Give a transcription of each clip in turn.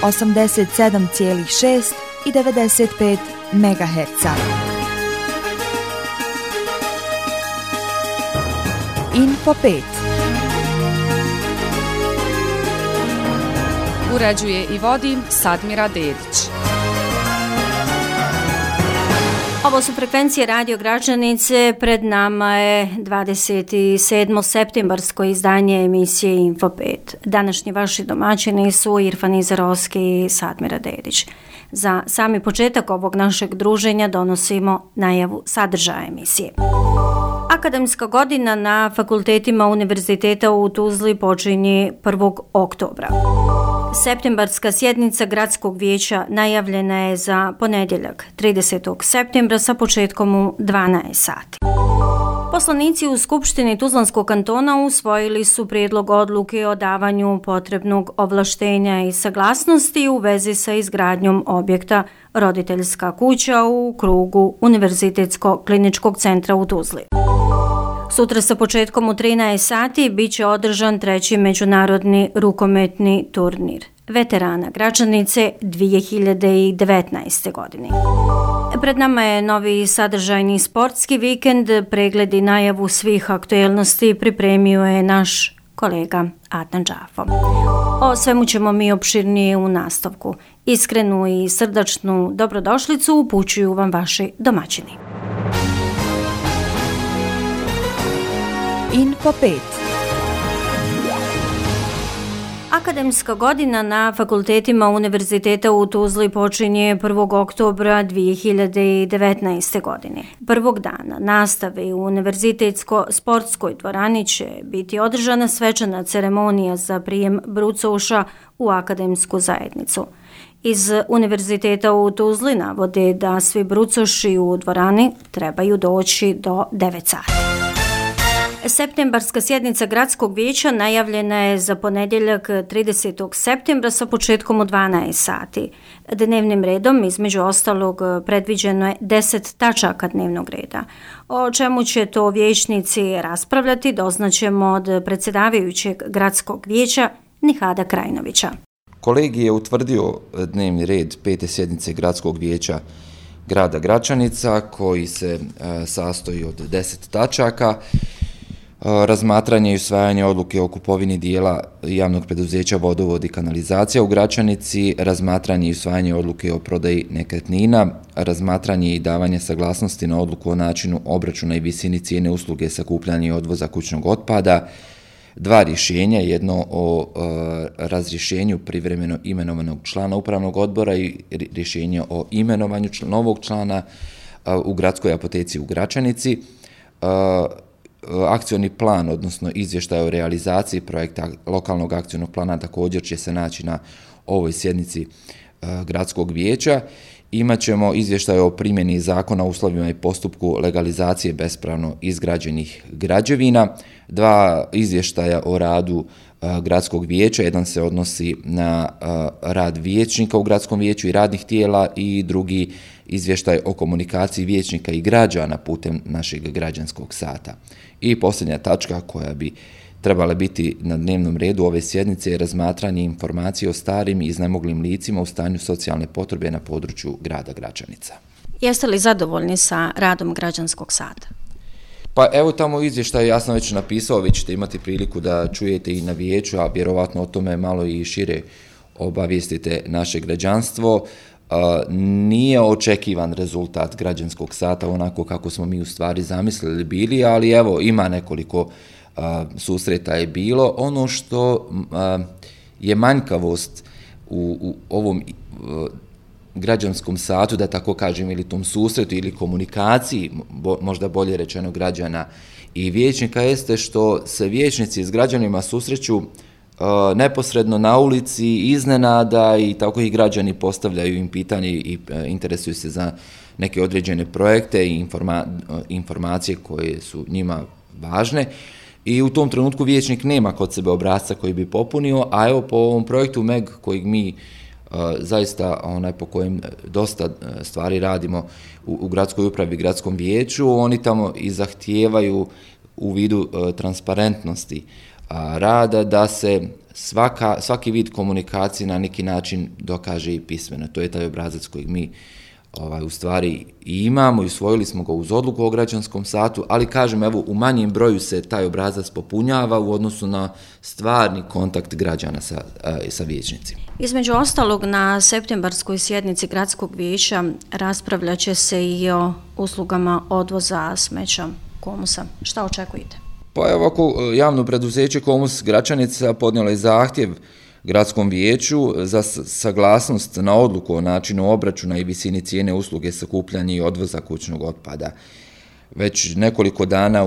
87,6 i 95 MHz. Info 5. Uređuje i vodi Sadmira Dedić. Ovo su frekvencije Radio Gračanice, pred nama je 27. septembarsko izdanje emisije Info 5. Današnji vaši domaćini su Irfan Izarovski i Sadmira Dedić. Za sami početak ovog našeg druženja donosimo najavu sadržaja emisije. Akademska godina na fakultetima Univerziteta u Tuzli počinje 1. oktobra. Septembarska sjednica Gradskog vijeća najavljena je za ponedjeljak 30. septembra sa početkom u 12 sati. Poslanici u Skupštini Tuzlanskog kantona usvojili su prijedlog odluke o davanju potrebnog ovlaštenja i saglasnosti u vezi sa izgradnjom objekta Roditeljska kuća u krugu Univerzitetskog kliničkog centra u Tuzli. Sutra sa početkom u 13 sati bit će održan 3. međunarodni rukometni turnir veterana Gračanice 2019. godine. Pred nama je novi sadržajni sportski vikend, pregled i najavu svih aktuelnosti pripremio je naš kolega Adnan Džafo. O svemu ćemo mi opširnije u nastavku. Iskrenu i srdačnu dobrodošlicu upućuju vam vaši domaćini. Info 5. Akademska godina na fakultetima Univerziteta u Tuzli počinje 1. oktobra 2019. godine. Prvog dana nastave u Univerzitetsko-sportskoj dvorani će biti održana svečana ceremonija za prijem brucoša u akademsku zajednicu. Iz Univerziteta u Tuzli navode da svi brucoši u dvorani trebaju doći do 9 sati. Septembarska sjednica Gradskog vijeća najavljena je za ponedjeljak 30. septembra sa početkom u 12 sati. Dnevnim redom, između ostalog, predviđeno je 10 tačaka dnevnog reda. O čemu će to vijećnici raspravljati doznaćemo od predsjedavajućeg Gradskog vijeća Nihada Krajinovića. Kolegij je utvrdio dnevni red 5. sjednice Gradskog vijeća grada Gračanica koji se sastoji od 10 tačaka. Razmatranje i usvajanje odluke o kupovini dijela javnog preduzeća Vodovod i kanalizacija u Gračanici, razmatranje i usvajanje odluke o prodaji nekretnina, razmatranje i davanje saglasnosti na odluku o načinu obračuna i visini cijene usluge sakupljanja i odvoza kućnog otpada, 2 rješenja, jedno o razrješenju privremeno imenovanog člana upravnog odbora i rješenje o imenovanju novog člana u Gradskoj apoteci u Gračanici, akcioni plan, odnosno izvještaj o realizaciji projekta lokalnog akcionog plana također će se naći na ovoj sjednici Gradskog vijeća. Imaćemo izvještaj o primjeni zakona o uslovima i postupku legalizacije bespravno izgrađenih građevina, 2 izvještaja o radu Gradskog vijeća, jedan se odnosi na rad vijećnika u Gradskom vijeću i radnih tijela i drugi izvještaj o komunikaciji vijećnika i građana putem našeg građanskog sata. I posljednja tačka koja bi trebala biti na dnevnom redu ove sjednice je razmatranje informacije o starim i iznemoglim licima u stanju socijalne potrebe na području grada Gračanica. Jeste li zadovoljni sa radom građanskog sata? Pa evo tamo u izvještaju, ja sam već napisao, vi ćete imati priliku da čujete i na vijeću, a vjerovatno o tome malo i šire obavijestite naše građanstvo. Nije očekivan rezultat građanskog sata onako kako smo mi u stvari zamislili bili, ali evo ima nekoliko susreta je bilo. Ono što je manjkavost u ovom građanskom satu, da tako kažem, ili tom susretu ili komunikaciji, možda bolje rečeno građana i vijećnika, jeste što se vijećnici s građanima susreću neposredno na ulici, iznenada, i tako i građani postavljaju im pitanje i interesuju se za neke određene projekte i informacije koje su njima važne. I u tom trenutku vijećnik nema kod sebe obrasca koji bi popunio, a evo po ovom projektu MEG kojeg mi zaista po kojem dosta stvari radimo u gradskoj upravi i gradskom vijeću, oni tamo i zahtijevaju u vidu transparentnosti rada da se svaki vid komunikacije na neki način dokaže i pismeno. To je taj obrazac kojeg mi u stvari i imamo i usvojili smo ga uz odluku o građanskom satu, ali kažem, evo, u manjem broju se taj obrazac popunjava u odnosu na stvarni kontakt građana sa vijećnicima. Između ostalog, na septembarskoj sjednici gradskog vijeća raspravljat će se i o uslugama odvoza smeća Komusa. Šta očekujete? Pa evo, ako javno preduzeće Komus Gračanica podnijelo je zahtjev gradskom vijeću za saglasnost na odluku o načinu obračuna i visini cijene usluge sakupljanja i odvoza kućnog otpada. Već nekoliko dana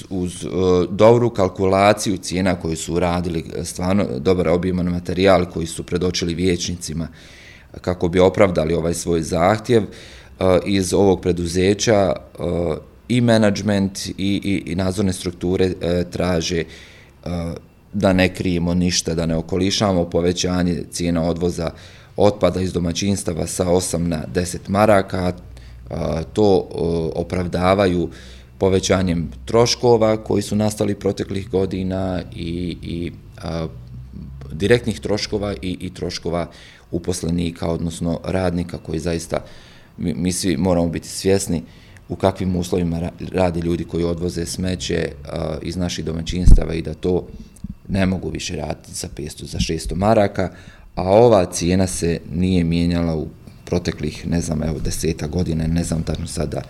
uz dobru kalkulaciju cijena koju su radili, stvarno dobar obiman materijal koji su predočili vijećnicima kako bi opravdali ovaj svoj zahtjev, iz ovog preduzeća i menadžment i nadzorne strukture traže da ne krijemo ništa, da ne okolišamo povećanje cijena odvoza otpada iz domaćinstava sa 8 na 10 maraka. To opravdavaju povećanjem troškova koji su nastali proteklih godina i direktnih troškova i troškova uposlenika, odnosno radnika, koji zaista, mi svi moramo biti svjesni u kakvim uslovima rade ljudi koji odvoze smeće iz naših domaćinstava i da to ne mogu više raditi za 500, za 600 maraka, a ova cijena se nije mijenjala u proteklih, 10 godina, ne znam tačno sada,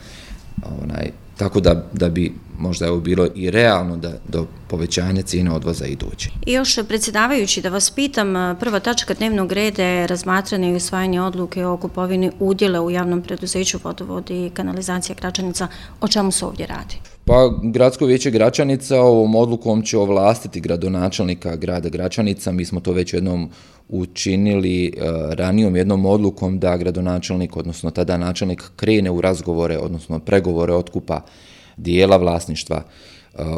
tako da bi možda bilo i realno da do povećanja cijene odvoza i doći. I još, predsjedavajući, da vas pitam, prva tačka dnevnog reda je razmatranje i usvajanje odluke o kupovini udjela u javnom preduzeću Vodovod i kanalizacija Gračanica. O čemu se ovdje radi? Pa, Gradsko vijeće Gračanica ovom odlukom će ovlastiti gradonačelnika grada Gračanica. Mi smo to već jednom učinili ranijom jednom odlukom da gradonačelnik, odnosno tada načelnik, krene u razgovore, odnosno pregovore otkupa dijela vlasništva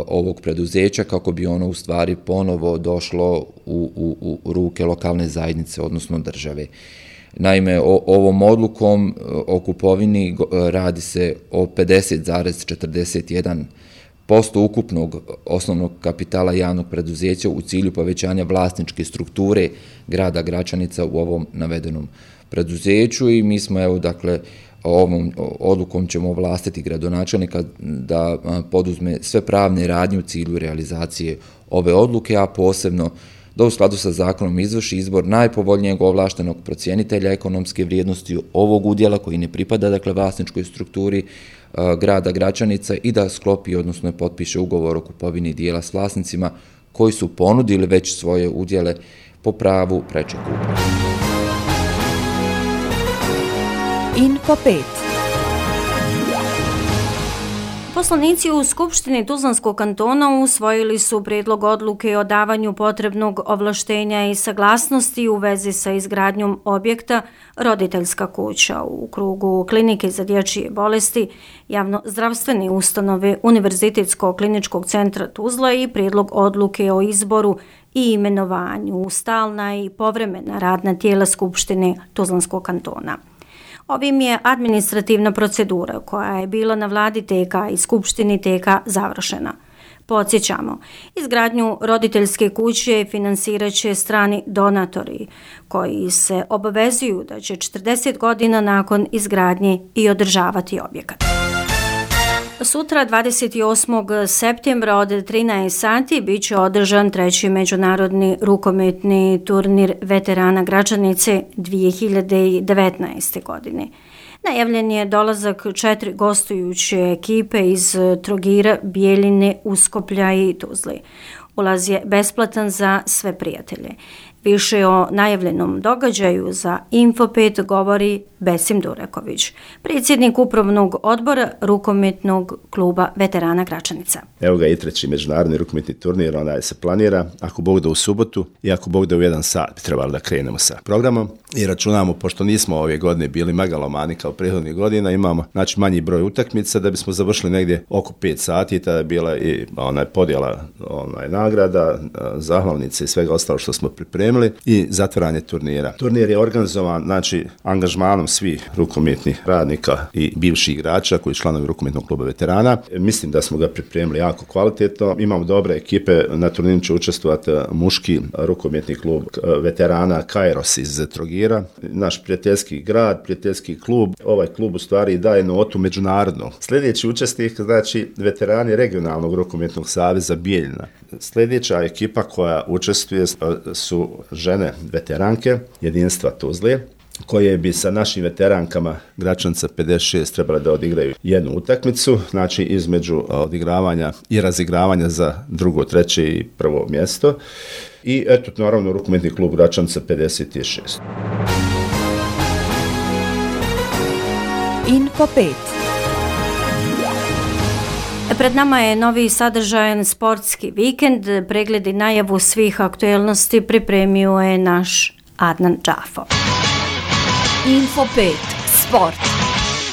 ovog preduzeća kako bi ono u stvari ponovo došlo u ruke lokalne zajednice, odnosno države. Naime, ovom odlukom o kupovini radi se o 50,41% ukupnog osnovnog kapitala javnog preduzeća u cilju povećanja vlasničke strukture grada Gračanica u ovom navedenom preduzeću i mi smo, ovom odlukom ćemo ovlastiti gradonačelnika da poduzme sve pravne radnje u cilju realizacije ove odluke, a posebno da u skladu sa zakonom izvrši izbor najpovoljnijeg ovlaštenog procjenitelja ekonomske vrijednosti ovog udjela koji ne pripada vlasničkoj strukturi grada Gračanica i da sklopi, odnosno potpiše ugovor o kupovini dijela s vlasnicima koji su ponudili već svoje udjele po pravu preče kupnje. Info 5. Poslanici u Skupštini Tuzlanskog kantona usvojili su prijedlog odluke o davanju potrebnog ovlaštenja i saglasnosti u vezi sa izgradnjom objekta roditeljska kuća u krugu klinike za dječje bolesti, javno-zdravstvene ustanove Univerzitetskog kliničkog centra Tuzla i prijedlog odluke o izboru i imenovanju u stalna i povremena radna tijela Skupštine Tuzlanskog kantona. Ovim je administrativna procedura koja je bila na vladi TK i Skupštini TK završena. Podsjećamo, izgradnju roditeljske kuće financirat će strani donatori koji se obavezuju da će 40 godina nakon izgradnje i održavati objekat. Sutra, 28. septembra od 13 sati, bit će održan 3. međunarodni rukometni turnir veterana Gračanice 2019. godine. Najavljen je dolazak 4 gostujuće ekipe iz Trogira, Bijeljine, Uskoplja i Tuzle. Ulaz je besplatan za sve prijatelje. Više o najavljenom događaju za Info 5 govori Besim Dureković, predsjednik upravnog odbora rukometnog kluba veterana Gračanica. Evo ga i 3. međunarodni rukometni turnir, se planira, ako Bog da u subotu i ako Bog da u 1 sat bi trebalo da krenemo sa programom i računamo, pošto nismo ove godine bili megalomani kao prethodnih godina, imamo manji broj utakmica da bismo završili negdje oko 5 sati, tada je bila i podjela nagrada, zahvalnice i svega ostalo što smo pripremili i zatvaranje turnira. Turnir je organizovan, znači, angažmanom svih rukometnih radnika i bivših igrača koji članovi rukometnog kluba veterana. Mislim da smo ga pripremili jako kvalitetno. Imamo dobre ekipe, na turniru će učestvovati muški rukometni klub veterana Kairos iz Trogira, naš prijateljski grad, prijateljski klub. Ovaj klub u stvari daje notu međunarodno. Sljedeći učesnik, znači, veterani regionalnog rukometnog saveza Bijeljina. Sljedeća ekipa koja učestvuje su žene veteranke jedinstva Tuzle, koje bi sa našim veterankama Gračanca 56 trebali da odigraju jednu utakmicu, znači između odigravanja i razigravanja za drugo, treće i prvo mjesto. I eto, naravno, rukometni klub Gračanca 56. Info 5. Pred nama je novi sadržajan sportski vikend. Pregled i najavu svih aktuelnosti pripremio je naš Adnan Džafo. Info 5. Sport.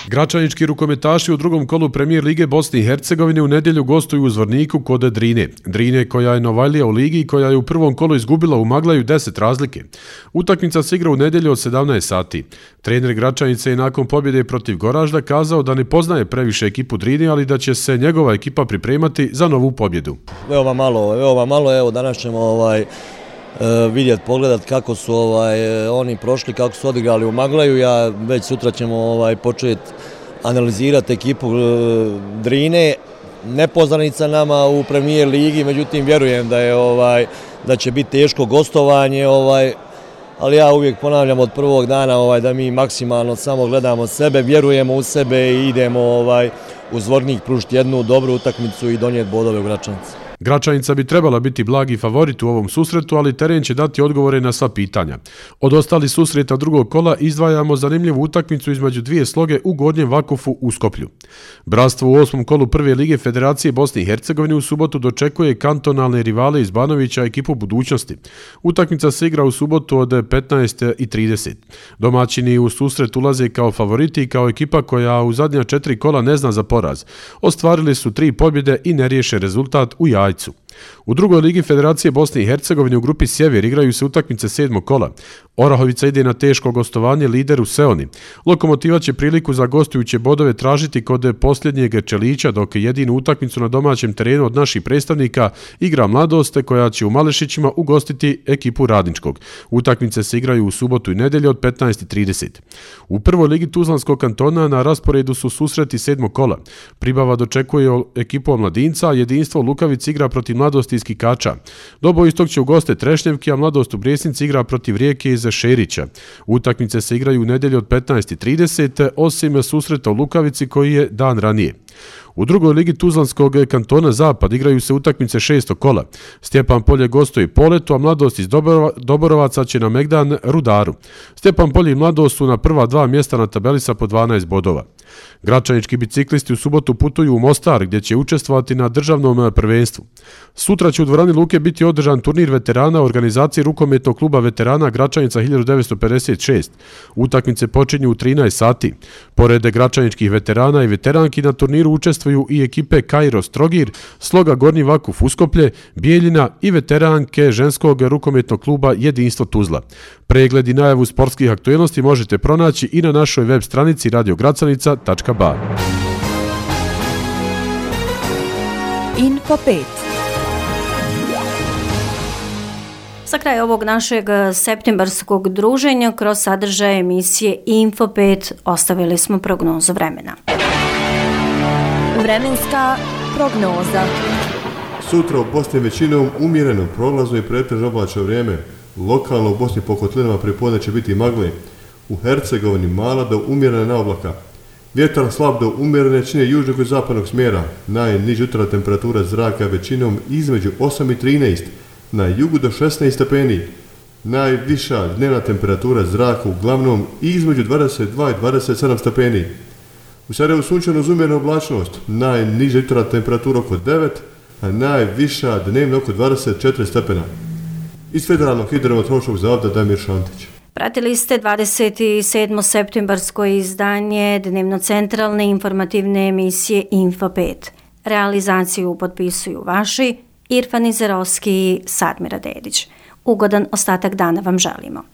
Gračanički rukometaši u drugom kolu Premijer lige Bosne i Hercegovine u nedjelju gostuju u Zvorniku kod Drine. Drine, koja je Novajlija u ligi i koja je u prvom kolu izgubila u Maglaju 10 razlike. Utakmica se igra u nedjelju od 17 sati. Trener Gračanice je nakon pobjede protiv Goražda kazao da ne poznaje previše ekipu Drine, ali da će se njegova ekipa pripremati za novu pobjedu. Veoma malo, evo danas ćemo vidjeti, pogledati kako su oni prošli, kako su odigrali u Maglaju. Ja već sutra ćemo početi analizirati ekipu Drine. Nepoznanica nama u Premijer ligi, međutim vjerujem da će biti teško gostovanje, ali ja uvijek ponavljam od prvog dana da mi maksimalno samo gledamo sebe, vjerujemo u sebe i idemo u Zvornik pružiti jednu dobru utakmicu i donijeti bodove u Gračanici. Gračanica bi trebala biti blagi favorit u ovom susretu, ali teren će dati odgovore na sva pitanja. Od ostalih susreta drugog kola izdvajamo zanimljivu utakmicu između dvije sloge u Gornjem Vakufu u Skoplju. Bratstvo u 8. kolu Prve lige Federacije Bosne i Hercegovine u subotu dočekuje kantonalne rivale iz Banovića, ekipu Budućnosti. Utakmica se igra u subotu od 15:30. Domaćini u susret ulaze kao favoriti i kao ekipa koja u zadnja 4 kola ne zna za poraz. Ostvarili su 3 pobjede i neriješen rezultat u Jajcu. U drugoj ligi Federacije Bosne i Hercegovine u grupi Sjever igraju se utakmice 7. kola. Orahovica ide na teško gostovanje lideru Seoni. Lokomotiva će priliku za gostujuće bodove tražiti kod posljednjeg Čelića, dok jedinu utakmicu na domaćem terenu od naših predstavnika igra Mladost, koja će u Malešićima ugostiti ekipu Radničkog. Utakmice se igraju u subotu i nedjelju od 15:30. U prvoj ligi Tuzlanskog kantona na rasporedu su susreti 7. kola. Pribava dočekuje ekipu Omladinca, jedinstvo Lukavic igra protiv Mladosti iz Kikača. Dobo istog će ugoste Trešnjevki, a Mladost u Brijesnici igra protiv Rijeke iz Šerića. Utakmice se igraju u nedjelju od 15:30, osim susreta u Lukavici koji je dan ranije. U drugoj ligi Tuzlanskog kantona Zapad igraju se utakmice 6. kola. Stjepan Polje gostuje Poletu, a Mladost iz Doborovaca će na Megdan Rudaru. Stjepan Polje i Mladost su na prva 2 mjesta na tabeli sa po 12 bodova. Gračanički biciklisti u subotu putuju u Mostar, gdje će učestvovati na državnom prvenstvu. Sutra će u dvorani Luke biti održan turnir veterana u organizaciji rukometnog kluba veterana Gračanica 1956. Utakmice počinju u 13 sati. Pored gračaničkih veterana i veteranki na turniru učestvuju i ekipe Kairos Trogir, Sloga Gornji Vakuf Uskoplje, Bijeljina i veteranke ženskog rukometnog kluba Jedinstvo Tuzla. Pregled i najavu sportskih aktuelnosti možete pronaći i na našoj web stranici radiogracanica.ba. Info 5. Za kraj ovog našeg septembarskog druženja kroz sadržaj emisije Info 5 ostavili smo prognozu vremena. Vremenska prognoza. Sutra u Bosni većinom umjereno, prolazno i pretežno oblačno vrijeme. Lokalno u Bosni po kotlinama pripodne će biti magle. U Hercegovini mala do umjerena oblaka. Vjetar slab do umjerene jačine južnog i zapadnog smjera. Najniža jutarnja temperatura zraka većinom između 8 i 13, na jugu do 16 stepeni. Najviša dnevna temperatura zraka uglavnom između 22 i 27 stepeni. U Sarajevu sunčano uz umjerenu oblačnost, najniža jutarnja temperatura oko 9, a najviša dnevna oko 24 stepena. Iz Federalnog hidrometeorološkog zavoda Damir Šantić. Pratili ste 27. septembarsko izdanje dnevno-centralne informativne emisije Info 5. Realizaciju potpisuju vaši Irfan Izerovski, Sadmira Dedić. Ugodan ostatak dana vam želimo.